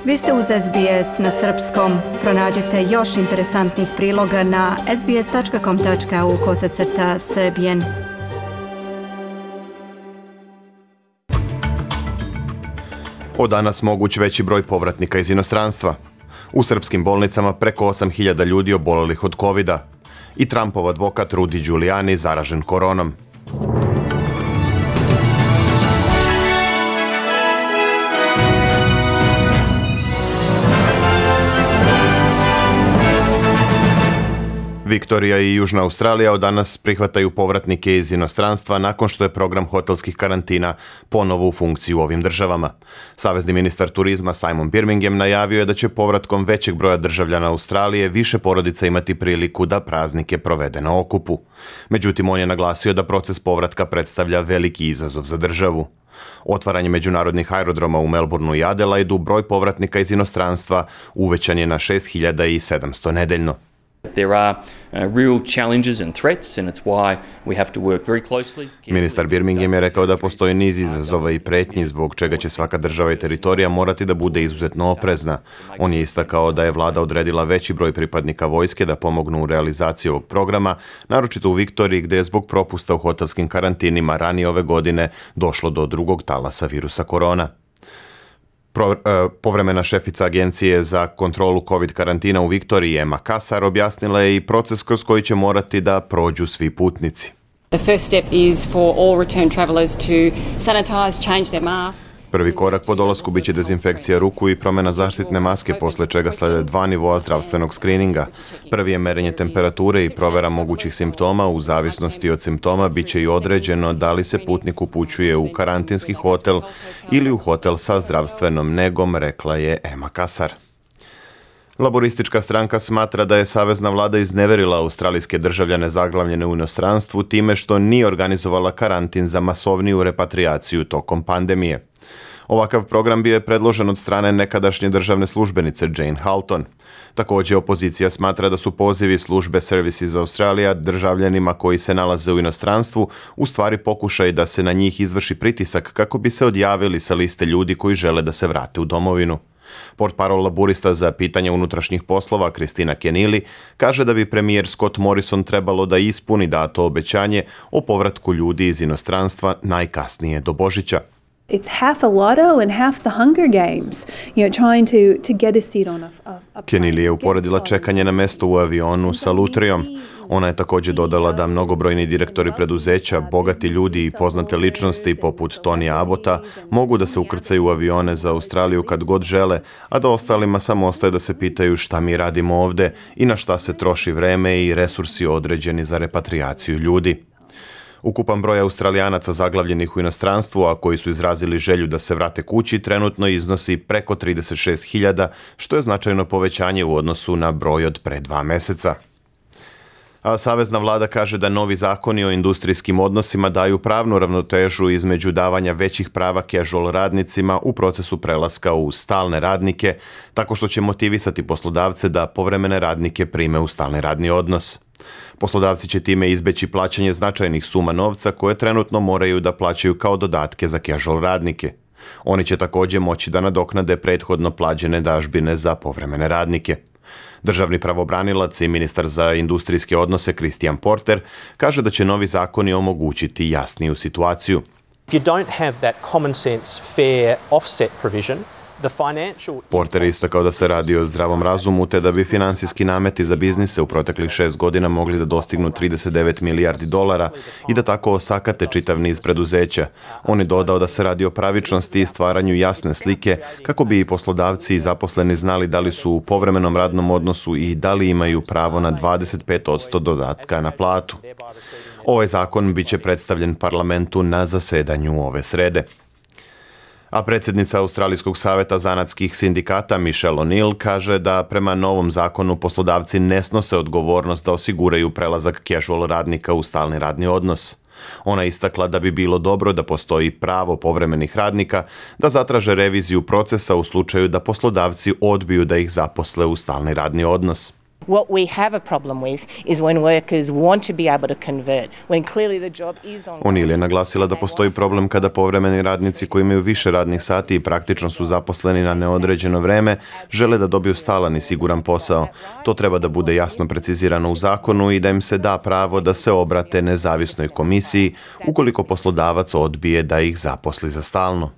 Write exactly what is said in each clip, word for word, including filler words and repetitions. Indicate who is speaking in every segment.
Speaker 1: Vi ste uz S B S na srpskom. Pronađite još interesantnih priloga na sbs.com.au kosacrta srbijen.
Speaker 2: Od danas moguć veći broj povratnika iz inostranstva. U srpskim bolnicama preko osam hiljada ljudi obolelih od kovida. I Trumpov advokat Rudy Giuliani zaražen koronom. Viktorija i Južna Australija od danas prihvataju povratnike iz inostranstva nakon što je program hotelskih karantina ponovo u funkciji u ovim državama. Savezni ministar turizma Simon Birmingham najavio je da će povratkom većeg broja državljana Australije više porodica imati priliku da praznike provede na okupu. Međutim, on je naglasio da proces povratka predstavlja veliki izazov za državu. Otvaranje međunarodnih aerodroma u Melbourneu i Adelaidu, broj povratnika iz inostranstva uvećan je na šest hiljada sedamsto nedeljno.
Speaker 3: There are uh, real challenges and threats and it's why we have to work very closely.
Speaker 2: Ministar Birmingham je rekao da postoji niz izazova i pretnji zbog čega će svaka država i teritorija morati da bude izuzetno oprezna. On je istakao da je vlada odredila veći broj pripadnika vojske da pomognu u realizaciji ovog programa, naročito u Viktoriji gdje je zbog propusta u hotelskim karantinima ranije ove godine došlo do drugog talasa virusa korona. Pro, e, povremena šefica Agencije za kontrolu COVID karantina u Viktoriji, Emma Kassar, objasnila je i proces kroz koji će morati da prođu svi putnici.
Speaker 4: The first step is for all return travelers to sanitize, change their masks.
Speaker 2: Prvi korak po dolasku biće dezinfekcija ruku i promjena zaštitne maske, posle čega slede dva nivoa zdravstvenog skrininga. Prvi je merenje temperature i provera mogućih simptoma. U zavisnosti od simptoma biće i određeno da li se putnik upućuje u karantinski hotel ili u hotel sa zdravstvenom negom, rekla je Emma Kassar. Laboristička stranka smatra da je savezna vlada izneverila australijske državljane zaglavljene u inostranstvu time što nije organizovala karantin za masovniju repatriaciju tokom pandemije. Ovakav program bio je predložen od strane nekadašnje državne službenice Jane Halton. Također, opozicija smatra da su pozivi službe Services Australia državljanima koji se nalaze u inostranstvu u stvari pokušaj da se na njih izvrši pritisak kako bi se odjavili sa liste ljudi koji žele da se vrate u domovinu. Portparol laburista za pitanje unutrašnjih poslova Kristina Kenili kaže da bi premijer Scott Morrison trebalo da ispuni dato obećanje o povratku ljudi iz inostranstva najkasnije do Božića.
Speaker 5: It's half a lotto and half the Hunger Games, you know, trying to, to get a seat on a, a, a
Speaker 2: Kenili je uporedila čekanje na mesto u avionu sa lutrijom. Ona je također dodala da mnogobrojni direktori preduzeća, bogati ljudi i poznate ličnosti poput Tonija Abota mogu da se ukrcaju u avione za Australiju kad god žele, a da ostalima samo ostaje da se pitaju šta mi radimo ovde i na šta se troši vreme i resursi određeni za repatriaciju ljudi. Ukupan broj Australijanaca zaglavljenih u inostranstvu, a koji su izrazili želju da se vrate kući, trenutno iznosi preko trideset šest hiljada, što je značajno povećanje u odnosu na broj od pre dva meseca. A savezna vlada kaže da novi zakoni o industrijskim odnosima daju pravnu ravnotežu između davanja većih prava casual radnicima u procesu prelaska u stalne radnike, tako što će motivisati poslodavce da povremene radnike prime u stalni radni odnos. Poslodavci će time izbeći plaćanje značajnih suma novca koje trenutno moraju da plaćaju kao dodatke za casual radnike. Oni će također moći da nadoknade prethodno plaćene dažbine za povremene radnike. Državni pravobranilac i ministar za industrijske odnose Christian Porter kaže da će novi zakoni omogućiti jasniju situaciju.
Speaker 6: If you don't have that common sense fair offset provision,
Speaker 2: Porter je istakao da se radi o zdravom razumu te da bi finansijski nameti za biznise u proteklih šest godina mogli da dostignu trideset devet milijardi dolara i da tako osakate čitav niz preduzeća. On je dodao da se radi o pravičnosti i stvaranju jasne slike kako bi i poslodavci i zaposleni znali da li su u povremenom radnom odnosu i da li imaju pravo na dvadeset pet posto dodatka na platu. Ovaj zakon biće predstavljen parlamentu na zasedanju ove srede. A predsjednica Australijskog saveta zanatskih sindikata Michelle O'Neill kaže da prema novom zakonu poslodavci ne snose odgovornost da osiguraju prelazak casual radnika u stalni radni odnos. Ona istakla da bi bilo dobro da postoji pravo povremenih radnika da zatraže reviziju procesa u slučaju da poslodavci odbiju da ih zaposle u stalni radni odnos.
Speaker 7: What we have a problem with is when workers want to be able to convert, when clearly the job is on.
Speaker 2: O'Neill je naglasila da postoji problem kada povremeni radnici koji imaju više radnih sati i praktično su zaposleni na neodređeno vreme žele da dobiju stalan i siguran posao. To treba da bude jasno precizirano u zakonu i da im se da pravo da se obrate nezavisnoj komisiji ukoliko poslodavac odbije da ih zaposli za stalno.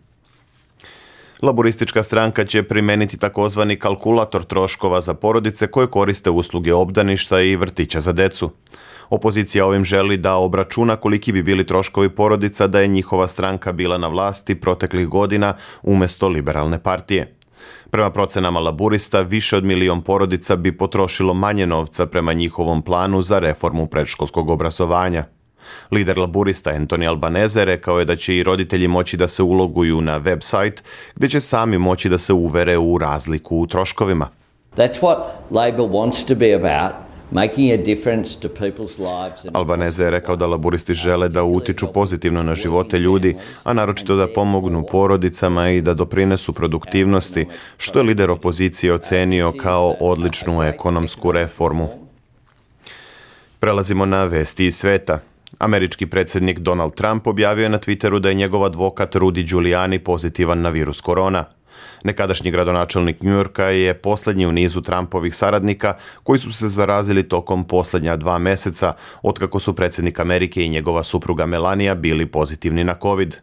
Speaker 2: Laboristička stranka će primeniti takozvani kalkulator troškova za porodice koje koriste usluge obdaništa i vrtića za decu. Opozicija ovim želi da obračuna koliki bi bili troškovi porodica da je njihova stranka bila na vlasti proteklih godina umjesto liberalne partije. Prema procenama laburista, više od milion porodica bi potrošilo manje novca prema njihovom planu za reformu predškolskog obrazovanja. Lider laburista Anthony Albanese rekao je da će i roditelji moći da se uloguju na website gdje će sami moći da se uvere u razliku u troškovima.
Speaker 8: That's what Labor wants to be about, making a difference to people's lives.
Speaker 2: Albanese je rekao da laburisti žele da utiču pozitivno na živote ljudi, a naročito da pomognu porodicama i da doprinesu produktivnosti, što je lider opozicije ocenio kao odličnu ekonomsku reformu. Prelazimo na vesti iz sveta. Američki predsjednik Donald Trump objavio je na Twitteru da je njegov advokat Rudy Giuliani pozitivan na virus korona. Nekadašnji gradonačelnik New Yorka je posljednji u nizu Trumpovih saradnika koji su se zarazili tokom posljednja dva meseca, otkako su predsjednik Amerike i njegova supruga Melania bili pozitivni na COVID.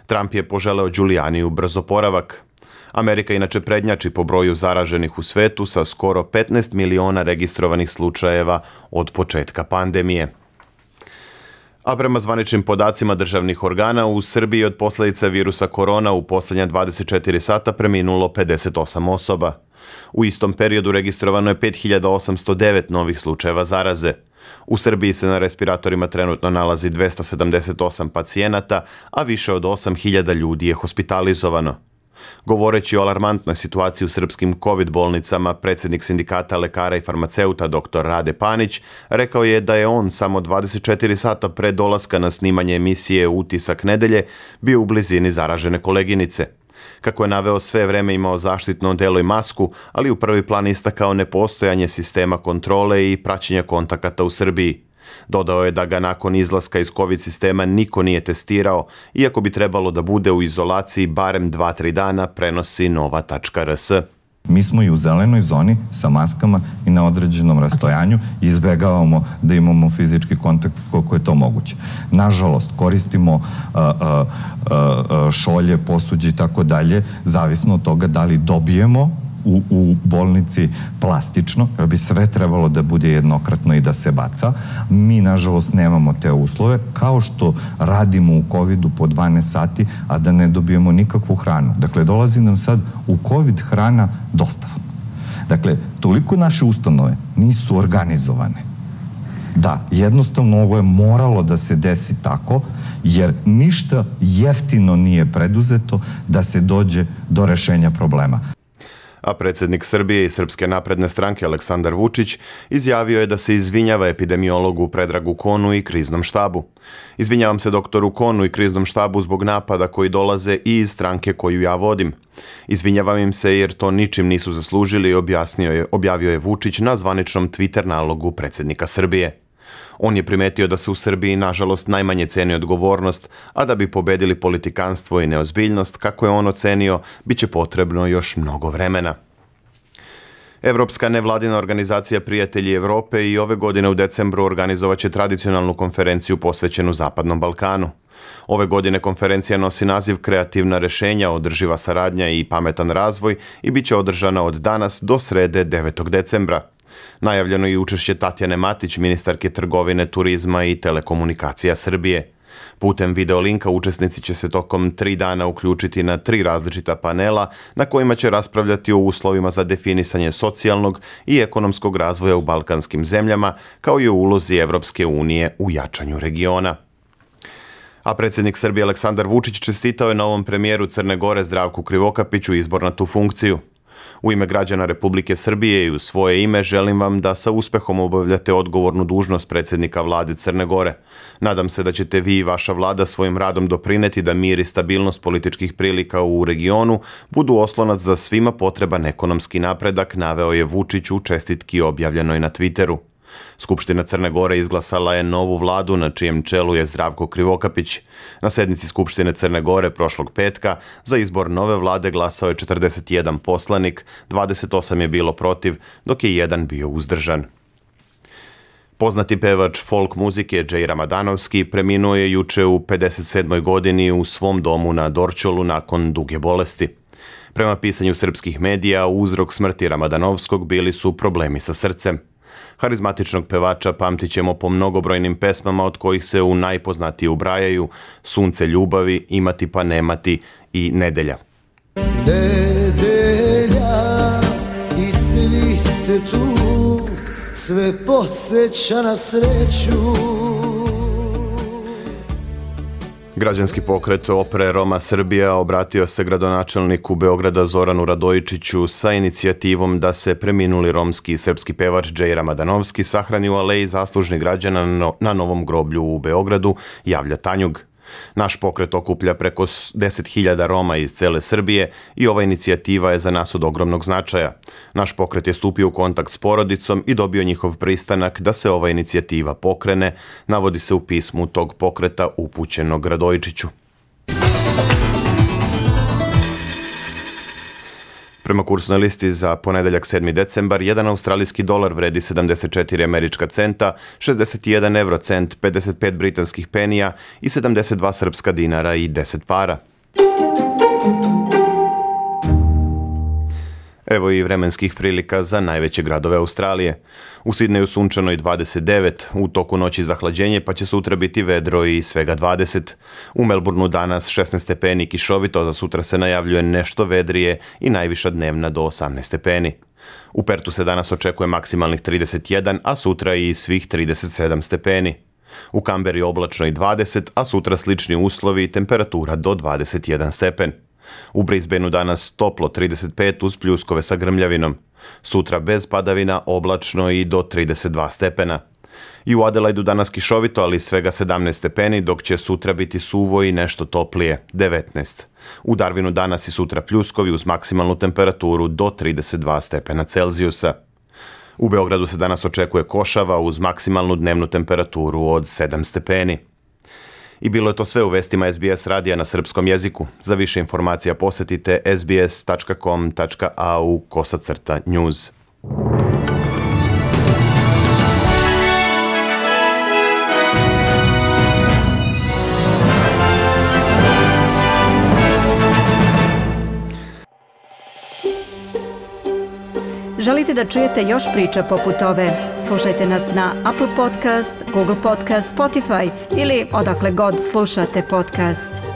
Speaker 2: Trump je poželeo Giulianiju brz oporavak. Amerika inače prednjači po broju zaraženih u svetu sa skoro petnaest miliona registrovanih slučajeva od početka pandemije. A prema zvaničnim podacima državnih organa, u Srbiji od posljedica virusa korona u posljednja dvadeset četiri sata preminulo pedeset osam osoba. U istom periodu registrovano je pet hiljada osamsto devet novih slučajeva zaraze. U Srbiji se na respiratorima trenutno nalazi dvesta sedamdeset osam pacijenata, a više od osam hiljada ljudi je hospitalizovano. Govoreći o alarmantnoj situaciji u srpskim COVID bolnicama, predsjednik sindikata lekara i farmaceuta dr. Rade Panić rekao je da je on samo dvadeset četiri sata pre dolaska na snimanje emisije Utisak nedelje bio u blizini zaražene koleginice. Kako je naveo, sve vreme imao zaštitno odelo i masku, ali u prvi plan istakao nepostojanje sistema kontrole i praćenja kontakata u Srbiji. Dodao je da ga nakon izlaska iz COVID sistema niko nije testirao, iako bi trebalo da bude u izolaciji barem dva tri dana, prenosi nova tačka er es.
Speaker 9: Mi smo i u zelenoj zoni sa maskama i na određenom rastojanju i izbjegavamo da imamo fizički kontakt koliko je to moguće. Nažalost, koristimo uh, uh, uh, šolje, posuđe i tako dalje, zavisno od toga da li dobijemo U, u bolnici plastično, jer bi sve trebalo da bude jednokratno i da se baca. Mi, nažalost, nemamo te uslove, kao što radimo u covidu po dvanaest sati, a da ne dobijemo nikakvu hranu. Dakle, dolazi nam sad u COVID hrana dostava. Dakle, toliko naše ustanove nisu organizovane. Da, jednostavno ovo je moralo da se desi tako, jer ništa jeftino nije preduzeto da se dođe do rešenja problema.
Speaker 2: A predsjednik Srbije i Srpske napredne stranke Aleksandar Vučić izjavio je da se izvinjava epidemiologu Predragu Konu i kriznom štabu. Izvinjavam se doktoru Konu i kriznom štabu zbog napada koji dolaze i iz stranke koju ja vodim. Izvinjavam im se jer to ničim nisu zaslužili, objasnio je, objavio je Vučić na zvaničnom Twitter nalogu predsjednika Srbije. On je primetio da se u Srbiji nažalost najmanje ceni odgovornost, a da bi pobedili politikanstvo i neozbiljnost, kako je on ocenio, bit će potrebno još mnogo vremena. Evropska nevladina organizacija Prijatelji Evrope i ove godine u decembru organizovaće tradicionalnu konferenciju posvećenu Zapadnom Balkanu. Ove godine konferencija nosi naziv Kreativna rešenja, održiva saradnja i pametan razvoj i bit će održana od danas do srede devetog decembra. Najavljeno je i učešće Tatjane Matić, ministarke trgovine, turizma i telekomunikacija Srbije. Putem videolinka učesnici će se tokom tri dana uključiti na tri različita panela na kojima će raspravljati o uslovima za definisanje socijalnog i ekonomskog razvoja u balkanskim zemljama, kao i o ulozi Evropske unije u jačanju regiona. A predsjednik Srbije Aleksandar Vučić čestitao je novom premijeru Crne Gore Zdravku Krivokapiću izbor na tu funkciju. U ime građana Republike Srbije i u svoje ime želim vam da sa uspehom obavljate odgovornu dužnost predsjednika vlade Crne Gore. Nadam se da ćete vi i vaša vlada svojim radom doprineti da mir i stabilnost političkih prilika u regionu budu oslonac za svima potreban ekonomski napredak, naveo je Vučić u čestitki objavljenoj na Twitteru. Skupština Crne Gore izglasala je novu vladu na čijem čelu je Zdravko Krivokapić. Na sednici Skupštine Crne Gore prošlog petka za izbor nove vlade glasao je četrdeset jedan poslanik, dvadeset osam je bilo protiv, dok je jedan bio uzdržan. Poznati pevač folk muzike Džej Ramadanowski preminuo je juče u pedeset sedmoj godini u svom domu na Dorćolu nakon duge bolesti. Prema pisanju srpskih medija, uzrok smrti Ramadanowskog bili su problemi sa srcem. Harizmatičnog pevača pamtit ćemo po mnogobrojnim pesmama od kojih se u najpoznatije ubrajaju Sunce ljubavi, Imati pa nemati i Nedelja.
Speaker 10: Nedelja i svi ste tu, sve podsjeća na sreću.
Speaker 2: Građanski pokret Opre Roma Srbija obratio se gradonačelniku Beograda Zoranu Radojičiću sa inicijativom da se preminuli romski i srpski pevač Džej Ramadanowski sahrani u aleji zaslužnih građana na Novom groblju u Beogradu, javlja Tanjug. Naš pokret okuplja preko deset hiljada Roma iz cele Srbije i ova inicijativa je za nas od ogromnog značaja. Naš pokret je stupio u kontakt s porodicom i dobio njihov pristanak da se ova inicijativa pokrene, navodi se u pismu tog pokreta upućenog Radojičiću. Prema kursnoj listi za ponedeljak sedmi decembar, jedan australijski dolar vredi sedamdeset četiri američka centa, šezdeset jedan evrocent, pedeset pet britanskih penija i sedamdeset dva srpska dinara i deset para. Evo i vremenskih prilika za najveće gradove Australije. U Sidneju sunčano i dvadeset devet, u toku noći zahlađenje pa će sutra biti vedro i svega dvadeset. U Melbourneu danas šesnaest stepeni i kišovito, za sutra se najavljuje nešto vedrije i najviša dnevna do osamnaest stepeni. U Pertu se danas očekuje maksimalnih trideset jedan, a sutra i svih trideset sedam stepeni. U Kamberi oblačno i dvadeset, a sutra slični uslovi i temperatura do dvadeset jedan stepen. U Brisbaneu danas toplo trideset pet uz pljuskove sa grmljavinom. Sutra bez padavina, oblačno i do trideset dva stepena. I u Adelaidu danas kišovito, ali svega sedamnaest stepeni, dok će sutra biti suvo i nešto toplije, devetnaest. U Darwinu danas i sutra pljuskovi uz maksimalnu temperaturu do trideset dva stepena Celzijusa. U Beogradu se danas očekuje košava uz maksimalnu dnevnu temperaturu od sedam stepeni. I bilo je to sve u vestima S B S radija na srpskom jeziku. Za više informacija posjetite sbs tačka com tačka a u kosacrta news.
Speaker 1: Želite da čujete još priča poput ove? Slušajte nas na Apple Podcast, Google Podcast, Spotify ili odakle god slušate podcast.